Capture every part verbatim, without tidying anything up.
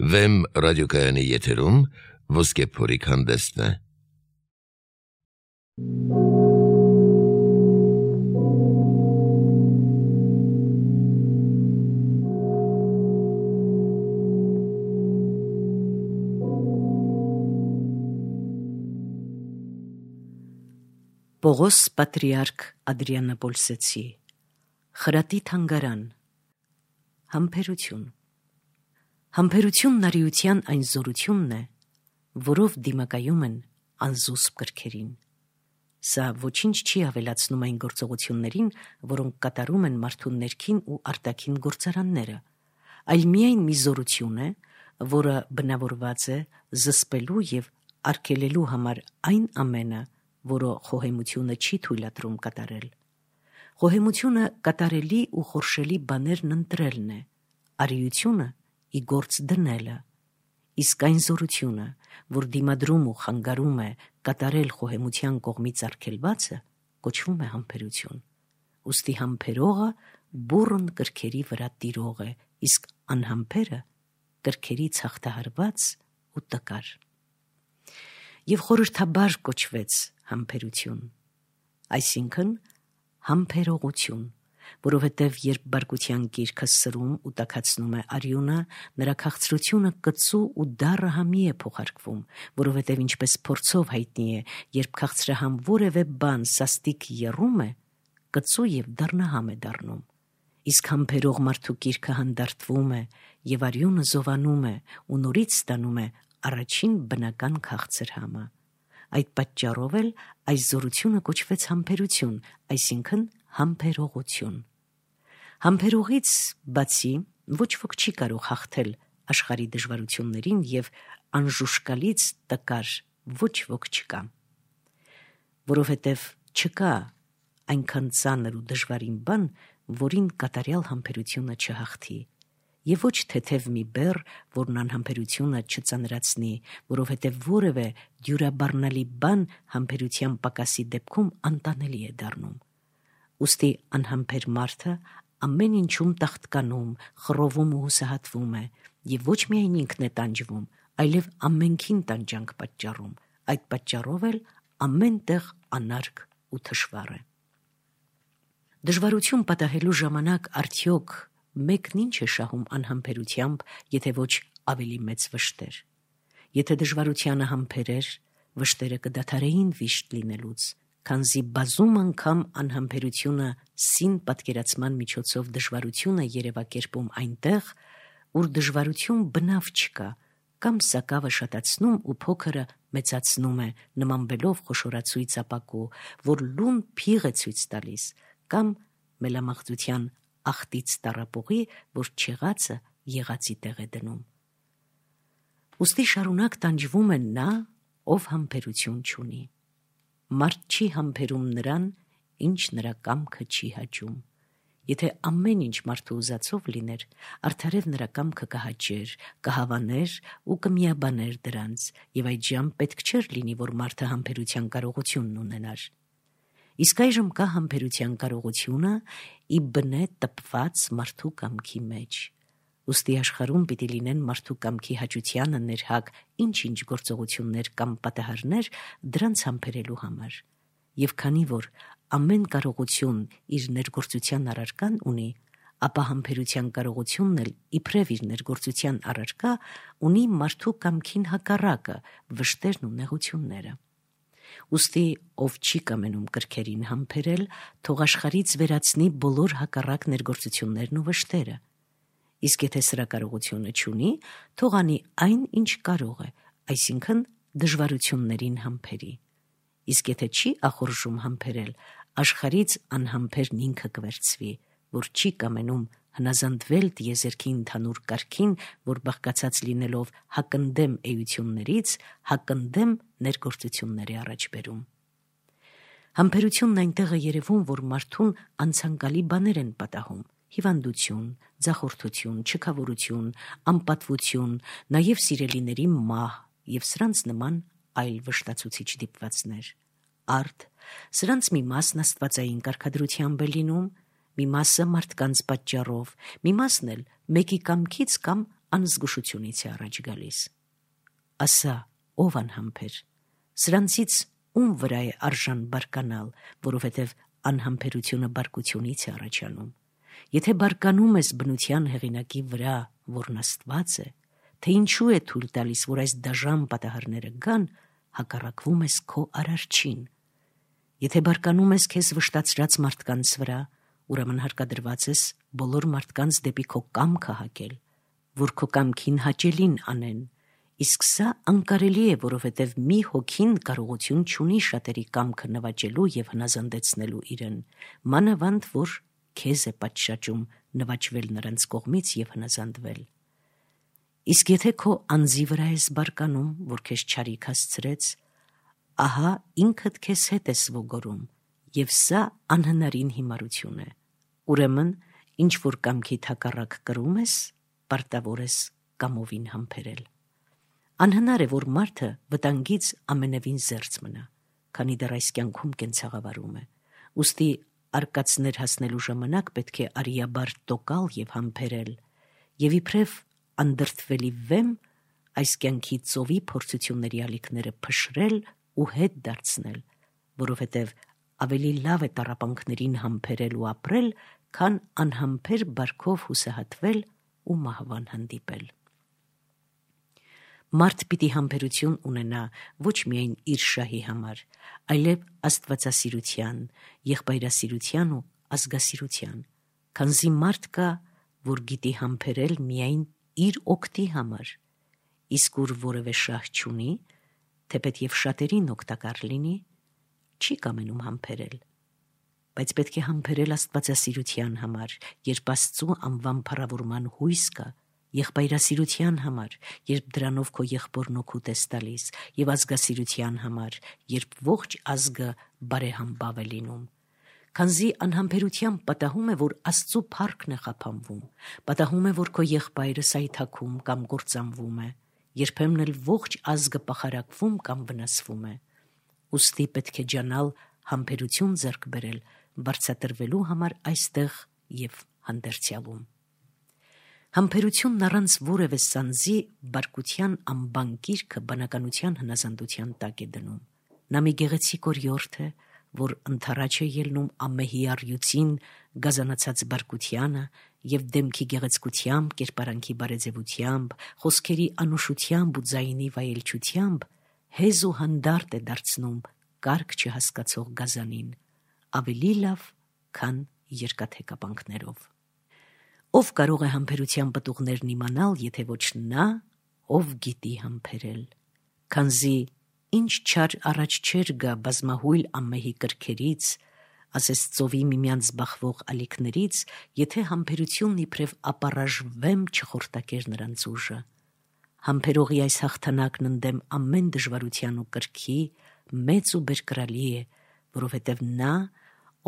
Վեմ ռադիոկայանի եթերում Ոսկե փորիկ հանդեսն է։ Պողոս պատրիարք Ադրիանապոլսեցի խրատի թանգարան համբերություն Համբերությունն արիության այն զորությունն է, որով դիմակայում են անզուսպ կրքերին։ Սա ոչինչ չի ավելացնում այն գործողություններին, որոնք կատարում են մարդու ներքին ու արտաքին գործարանները, այլ միայն մի զորություն է, որը բնավորված է զսպելու եւ արգելելու համար այն ամենը, որը խոհեմությունը չի թույլատրում կատարել։ Խոհեմությունը կատարելի ու խորշելի բաներն ընտրելն է, արիությունը ի գործ դնելը, իսկ այն զորությունը, որ դիմադրում ու խանգարում է կատարել խոհեմության կողմից արգելվածը, կոչվում է համբերություն։ Ուստի համբերողը բուռն կրքերի վրա տիրող է, իսկ անհամբերը կրքերից հաղթահարված ու տկար։ Եվ խորհրդաբար կոչվեց համբերություն, այսինքն համբերողություն, որովհետև երբ բարկության գիրքը սրում ու տաքացնում է արյունը, նրա քաղցրությունը կծու ու դառը համի է փոխարկվում, որովհետև ինչպես փորձով հայտնի է, երբ քաղցրահամ որևէ բան սաստիկ եռում է, կծու եւ դառնահամ է դառնում, իսկ համբերող մարդու գիրքը հանդարտվում է եւ արյունը զովանում է ու նորից ստանում է առաջին բնական քաղցր համը։ Այդ պատճառով էլ այս զորությունը կոչվեց համբերություն, այսինքն համբերողություն։ Համբերողից բացի ոչ ոք չի կարող հաղթել աշխարհի դժվարություններին եւ անժուշկալից տկար ոչ ոք չկա, որովհետև չկա այնքան ծանր ու դժվարին բան, որին կատարյալ համբերությունը չհաղթի, եւ ոչ թեթև մի բեռ, որն անհամբերությունը չծանրացնի, որովհետև որևէ դյուրաբառնալի բան համբերության պակասի դեպքում անտանելի է դառնում։ Ուստի անհամբեր մարդը ամեն ինչում տաղտկանում, խռովում ու հուսահատվում է, եւ ոչ միայն ինքն է տանջվում, այլև ամենքին տանջանք պատճառում, այդ պատճառով էլ ամենտեղ անարգ ու թշվառ է։ Դժվարություն պատահելու ժամանակ արդյոք մեկն ինչ է շահում անհամբերությամբ, եթե ոչ ավելի մեծ վշտեր։ Եթե դժվարությանը համբերեր, վշտերը կդադարեին վիշտ լինելուց, քանզի բազում անգամ անհամբերությունը սին պատկերացման միջոցով դժվարություն է երևակերպում այնտեղ, ուր դժվարություն բնավ չկա, կամ սակավը շատացնում ու փոքրը մեծացնում է, նմանվելով խոշորացույց ապակու, որ լուն փիղ է ցույց տալիս, կամ մելամաղձության ախտից տառապողի, որ չեղածը եղածի տեղ է դնում։ Ուստի շարունակ տանջվում է նա, ով համբերություն չունի։ Մարդ չի համբերում նրան, ինչ նրա կամքը չի հաճում։ Եթե ամեն ինչ մարդու ուզածով լիներ, արդարև նրա կամքը կհաճեր, կհավաներ ու կմիաբաներ դրանց, եւ այդժամ պետք չէր լինի, որ մարդը համբերության կարողությունն ունենար։ Իսկ այժմ կա համբերության կարողությունը ի բնե տպված մարդու կամքի մեջ։ Ուստի աշխարհում պիտի լինեն մարդու կամքի հաճությանը ներհակ ինչ-ինչ գործողություններ կամ պատահարներ դրանց համբերելու համար։ Եվ քանի որ ամեն կարողություն իր ներգործության առարկան ունի, ապա համբերության կարողությունն էլ իբրև իր ներգործության առարկա ունի մարդու կամքին հակառակը, վշտերն ու նեղությունները։ Ուստի ով չի կամենում կրքերին համբերել, թող աշխարհից վերացնի բոլոր հակառակ ներգործություններն ու վշտերը։ Իսկ եթե սրա կարողությունը չունի, թող անի այն, ինչ կարող է, այսինքն դժվարություններին համբերի։ Իսկ եթե չի ախորժում համբերել, աշխարհից անհամբերն ինքը կվերցվի, որ չի կամենում հնազանդվել տիեզերքի ընդհանուր կարգին, որ բաղկացած լինելով հակընդդեմ էություններից, հակընդդեմ ներգործությունների առաջ բերում։ Համբերությունն այնտեղ է երևում, որ մարդուն անցանկալի բաներ են պատահում՝ հիվանդություն, ձախորդություն, չքավորություն, անպատվություն, նաև սիրելիների մահ եւ սրանց նման այլ վշտացուցիչ դիպվածներ։ Արդ, սրանց մի մասն աստվածային կարգադրությամբ է լինում, մի մասը մարդկանց պատճառով, մի մասն էլ մեկի կամքից կամ անզգուշությունից է առաջ գալիս։ Ասա, ով անհամբեր, սրանցից ում վրա է արժան բարկանալ, որովհետև անհամբերությունը բարկությունից է առաջանում։ Եթե բարկանում ես բնության հեղինակի վրա, որն Աստված է, թե ինչու է թույլ տալիս, որ այս դաժան պատահարները գան, հակառակվում ես քո արարչին։ Եթե բարկանում ես քեզ վշտացրած մարդկանց վրա, ուրեմն հարկադրված ես բոլոր մարդկանց դեպի քո կամքը հակել, որ քո կամքին հաճելին անեն, իսկ սա անկարելի է, որովհետև մի հոգին կարողություն չունի շատերի կամքը նվաճելու և հնազանդեցնելու իրեն, մանավանդ որ քեզ է պատշաճում նվաճվել նրանց կողմից և հնազանդվել։ Իսկ եթե քո անձի վրա ես բարկանում, որ քեզ չարիք հասցրեց, ահա ինքդ քեզ հետ ես ոգորում, և սա անհնարին հիմարություն է։ Ուրեմն, ինչ որ կամքիդ հակառակ կրում ես, պարտավոր ես կամովին համբերել։ Անհնար է, որ մարդը վտանգից ամենևին զերծ մնա, քանի դեռ այս կյանքում կենցաղավարում է։ Ուստի արկածներ հասնելու ժամանակ պետք է արիաբար տոկալ և համբերել, և իբրև անդրդվելի վեմ այս կյանքի ծովի փորձությունների ալիքները փշրել ու հետ դարձնել, որովհետև ավելի լավ է տառապանքներին համբերել ու ապրել, քան անհամբեր բարքով հուսահատվել ու մահվան հանդիպել։ Մարդ պիտի համբերություն ունենա ոչ միայն իր շահի համար, այլև աստվածասիրության, եղբայրասիրության ու ազգասիրության, քանզի մարդ կա, որ գիտի համբերել միայն իր օգտի համար, իսկ ուր որևէ շահ չունի, թեպետ և շատերին օգտակար լինի, չի կամենում համբերել, բայց պետք է համբերել աստվածասիրության համար, երբ Աստծու անվան փառավորման հույս կա, եղբայրասիրության համար, երբ դրանով քո եղբորն օգուտ ես տալիս, և ազգասիրության համար, երբ ողջ ազգը բարեհամբավ է լինում։ Քանզի անհամբերությամբ պատահում է, որ Աստծու փառքն է խափանվում, պատահում է, որ քո եղբայրը սայթաքում կամ կործանվում է, երբեմն էլ ողջ ազգը պախարակվում կամ վնասվում է։ Ուստի պետք է ջանալ համբերություն ձեռք բերել, վարձատրվելու համար այստեղ և հանդերձյալում։ Համբերությունն առանց որևէ սանձի բարկության անբան կիրքը բանականության հնազանդության տակ է դնում։ Նա մի գեղեցիկ օրիորդ է, որ ընդառաջ է ելնում ամեհի առյուծին գազանացած բարկությանը և դեմքի գեղեցկությամբ, կերպարանքի բարեձևությամբ, խոսքերի անուշությամբ ու ձայնի վայելչությամբ հեզ ու հանդարտ է դարձնում կարգ չհասկացող գազանին, ավելի լավ, քան երկաթե կապանքներով։ Ով կարող է համբերության պտուղներն իմանալ, եթե ոչ նա, ով գիտի համբերել, քանզի ինչ չար առաջ չեր գա բազմահույլ ամեհի կրքերից, ասես ծովի միմյանց բախվող ալիքներից, եթե համբերությունն իբրև ապառաժ վեմ չխորտակեր նրանց ուժը։ Համբերողի այս հաղթանակն ընդդեմ ամեն դժվարության ու կրքի մեծ ու բերկրալի է, որովհետև նա,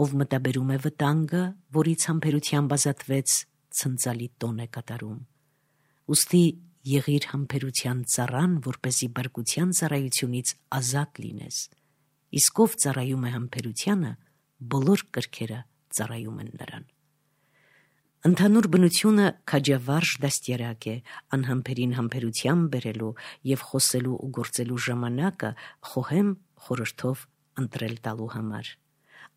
ով մտաբերում է վտանգը, որից համբերությամբ ազատվեց, ցնծալի տոն է կատարում։ Ուստի եղիր համբերության ծառան, որպեսզի բարկության ծառայությունից ազատ լինես, իսկ ով ծառայում է համբերությանը, բոլոր կրքերը ծառայում են նրան։ Ընդհանուր բնությունը քաջավարժ դաստիարակ է, անհամբերին համբերության բերելու և խոսելու ու գործելու ժամանակը խոհեմ խորհրդով ընտրել տալու համար։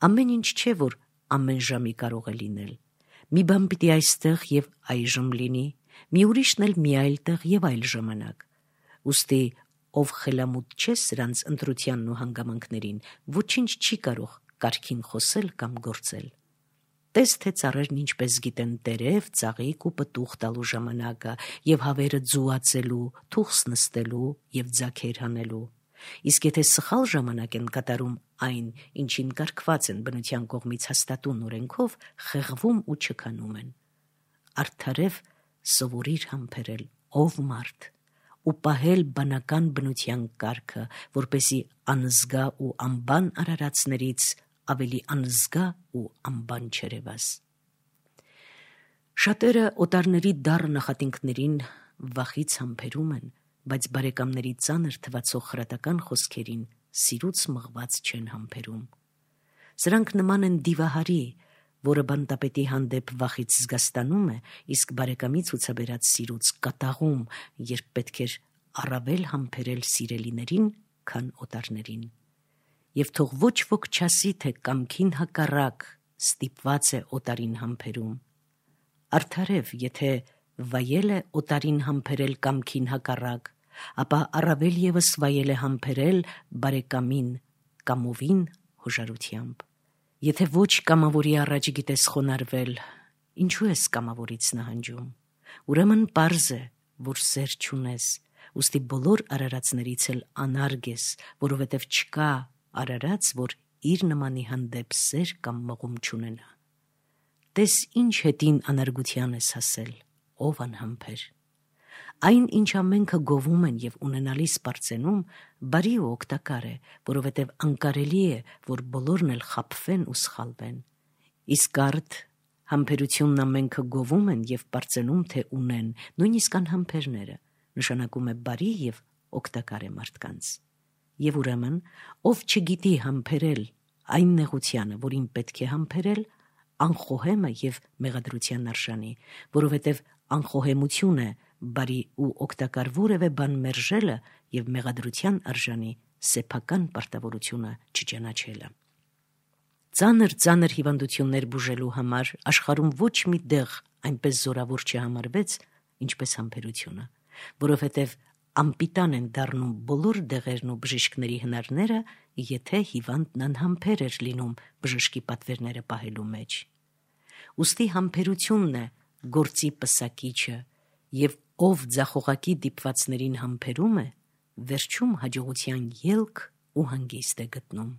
Ամեն ինչ չէ, որ ամեն ժամի կարող է լինել։ Մի բան պիտի այստեղ և այժմ լինի, մի ուրիշն էլ մի այլ տեղ և այլ ժամանակ։ Ուստի ով խելամուտ չէ սրանց ընտրությանն ու հանգամանքներին, ոչինչ չի կարող կարգին խոսել կամ գործել։ Տես թե ծառերն ինչպես գիտեն տերև, ծաղիկ ու պտուղ տալու ժամանակը և հավերը ձուացելու, թուխս նստելու և ձագեր հանելու։ Իսկ եթե սխալ ժամանակ են կատարում այն, ինչին կարգված են բնության կողմից հաստատուն օրենքով, խեղվում ու չքանում են։ Արդարև սովորիր համբերել, ով մարդ, ու պահել բանական բնության կարգը, որպեսզի անզգա ու անբան արարածներից ավելի անզգա ու անբան չերևաս։ Շատերը օտարների դառը նախատինքներին վախից համբերում են, բայց բարեկամների ծանր թվացող խրատական խոսքերին սիրուց մղված չեն համբերում։ Սրանք նման են դիվահարի, որը բանտապետի հանդեպ վախից զգաստանում է, իսկ բարեկամի ցուցաբերած սիրուց կատաղում, երբ պետք էր առավել համբերել սիրելիներին, քան օտարներին։ Եվ թող ոչ ոք չասի, թե կամքին հակառակ ստիպված է օտարին համբերում։ Արդարև, եթե վայել է օտարին համբերել կամքին հակառակ, ապա առավել ևս վայել է համբերել բարեկամին կամովին հոժարությամբ։ Եթե ոչ կամավորի առաջ գիտես խոնարհվել, ինչու ես կամավորից նահանջում։ Ուրեմն պարզ է, որ սեր չունես, ուստի բոլոր արարածներից էլ անարգ ես, որովհետև չկա արարած, որ իր նմանի հանդեպ սեր կամ մղում չունենա։ Տես ինչ հետին անարգության ես հասել, ով անհամբեր։ Այն, ինչ ամենքը գովում են և ունենալիս պարծենում, բարի ու օգտակար է, որովհետև անկարելի է, որ բոլորն էլ խաբվեն ու սխալվեն։ Իսկ արդ համբերությունն ամենքը գովում են և պարծենում, թե ունեն, նույնիսկ անհամբերները, նշանակում է բարի և օգտակար է մարդկանց։ Եվ ուրեմն, ով չգիտի համբերել այն նեղությանը, որին պետք է համբերել, անխոհեմ է և մեղադրության արժանի, որովհետև անխոհեմություն է բարի ու օգտակար որևէ բան մերժելը և մեղադրության արժանի սեփական պարտավորությունը չճանաչելը։ Ծանր ծանր հիվանդություններ բուժելու համար աշխարհում ոչ մի դեղ այնպես զորավոր չհամարվեց, ինչպես համբերությունը, որովհետև անպիտան են դառնում բոլոր դեղերն ու բժիշկների հնարները, եթե հիվանդն անհամբեր էր լինում բժշկի պատվերները պահելու մեջ։ Ուստի համբերությունն է գործի պսակիչը, և ով ձախողակի դիպվածներին համբերում է, վերջում հաջողության ելք ու հանգիստ է գտնում։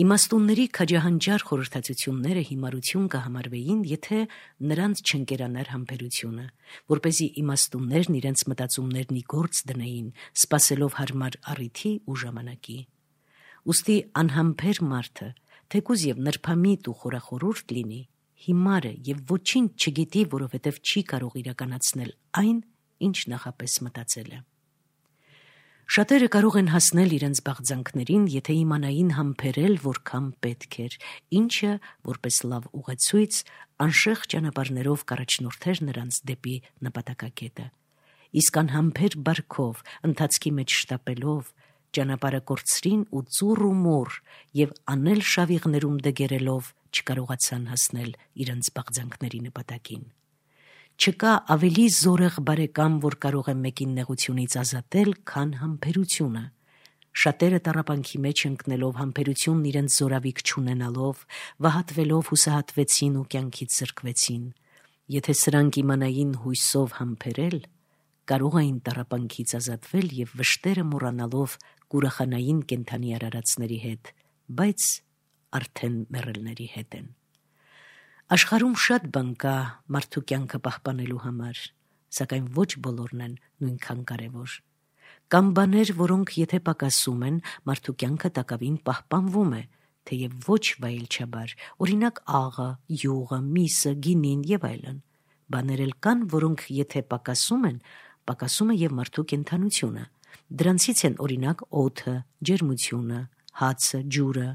Իմաստունների քաջահանջար խորհրդածությունները հիմարություն կհամարվեին, եթե նրանց չընկերանար համբերությունը, որպեսզի իմաստուններն իրենց մտածումներն ի գործ դնեին, սպասելով հարմար առիթի ու ժամանակի։ Ուստի անհամբեր մարդը, թեկուզ և նրբամիտ ու խորախորհուրդ լինի, հիմար է և ոչինչ չգիտի, որովհետև չի կարող իրականացնել այն, ինչ նախապես մտածել է։ Շատերը կարող են հասնել իրենց բաղձանքներին, եթե իմանային համբերել որքան պետք էր, ինչը, որպես լավ ուղեցույց, անշեղ ճանապարհներով կառաջնորդեր նրանց դեպի նպատակակետը։ Իսկ անհամբեր բարքով, ընթացքի մեջ շտապելով, ճանապարհը կորցրին ու ծուռ ու մոռ և անել շավիղներում դգերելով չկարողացան հասնել իրենց բաղձանքների նպատակին։ Չկա ավելի զորեղ բարեկամ, որ կարող է մեկին նեղությունից ազատել, քան համբերությունը։ Շատերը տառապանքի մեջ ընկնելով, համբերությունն իրենց զորավիք չունենալով, վհատվելով հուսահատվեցին ու կյանքից զրկվեցին։ Եթե սրանք իմանային հույսով համբերել, կարող էին տառապանքից ազատվել և վշտերը մոռանալով կուրախանային կենդանի արարածների հետ, բայց արդեն մեռելների հետ են։ Աշխարհում շատ բան կա մարդու կյանքը պահպանելու համար, սակայն ոչ բոլորն են նույնքան կարևոր։ Կան բաներ, որոնք եթե պակասում են, մարդու կյանքը տակավին պահպանվում է, թեև ոչ վայելչաբար, օրինակ աղը, յուղը, միսը, գինին և այլն։ Բաներ էլ կան, որոնք եթե պակասում են, պակասում է և մարդու կենդանությունը։ Դրանցից են օրինակ օդը, ջերմությունը, հացը, ջուրը։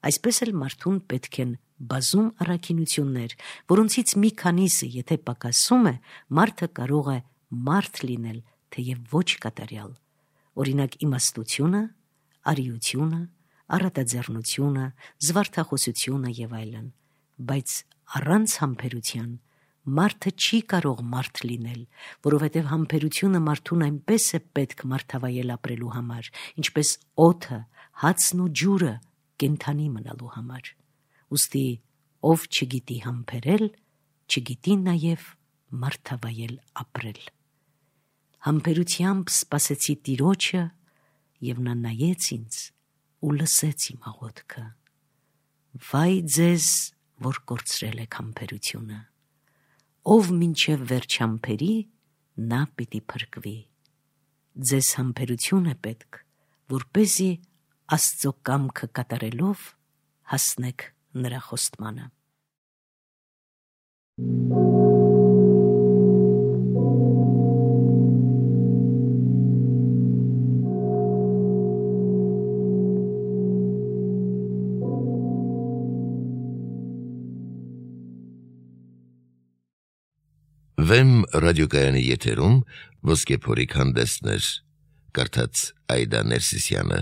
Այսպես էլ մարդուն պետք են բազում առաքինություններ, որոնցից մի քանիսը եթե պակասում է, մարդը կարող է մարդ լինել, թեև ոչ կատարյալ։ Օրինակ իմաստությունը, արիությունը, առատաձեռնությունը, զվարթախոսությունը և այլն։ Բայց առանց համբերության մարդը չի կարող մարդ լինել, որովհետև համբերությունը մարդուն այնպես է պետք մարդավայել ապրելու համար, ինչպես օդը, հացն ու ջուրը կենդանի մնալու համար։ Ուստի ով չգիտի համբերել, չգիտի նաև մարդավայել ապրել։ Համբերությամբ սպասեցի Տիրոջը, և նա նայեց ինձ ու լսեց իմ աղոթքը։ Վայ ձեզ, որ կորցրել եք համբերությունը։ Ով մինչև վերջ համբերի, նա պիտի փրկվի։ Ձեզ համբերություն է պետք, որպեսզի Աստծո կամքը կատարելով հասնեք նրա խոստմանը։ Վեմ ռադիոկայանի եթերում ոսկե փորիկ հանդեսներ, կարդաց Այդա Ներսիսյանը։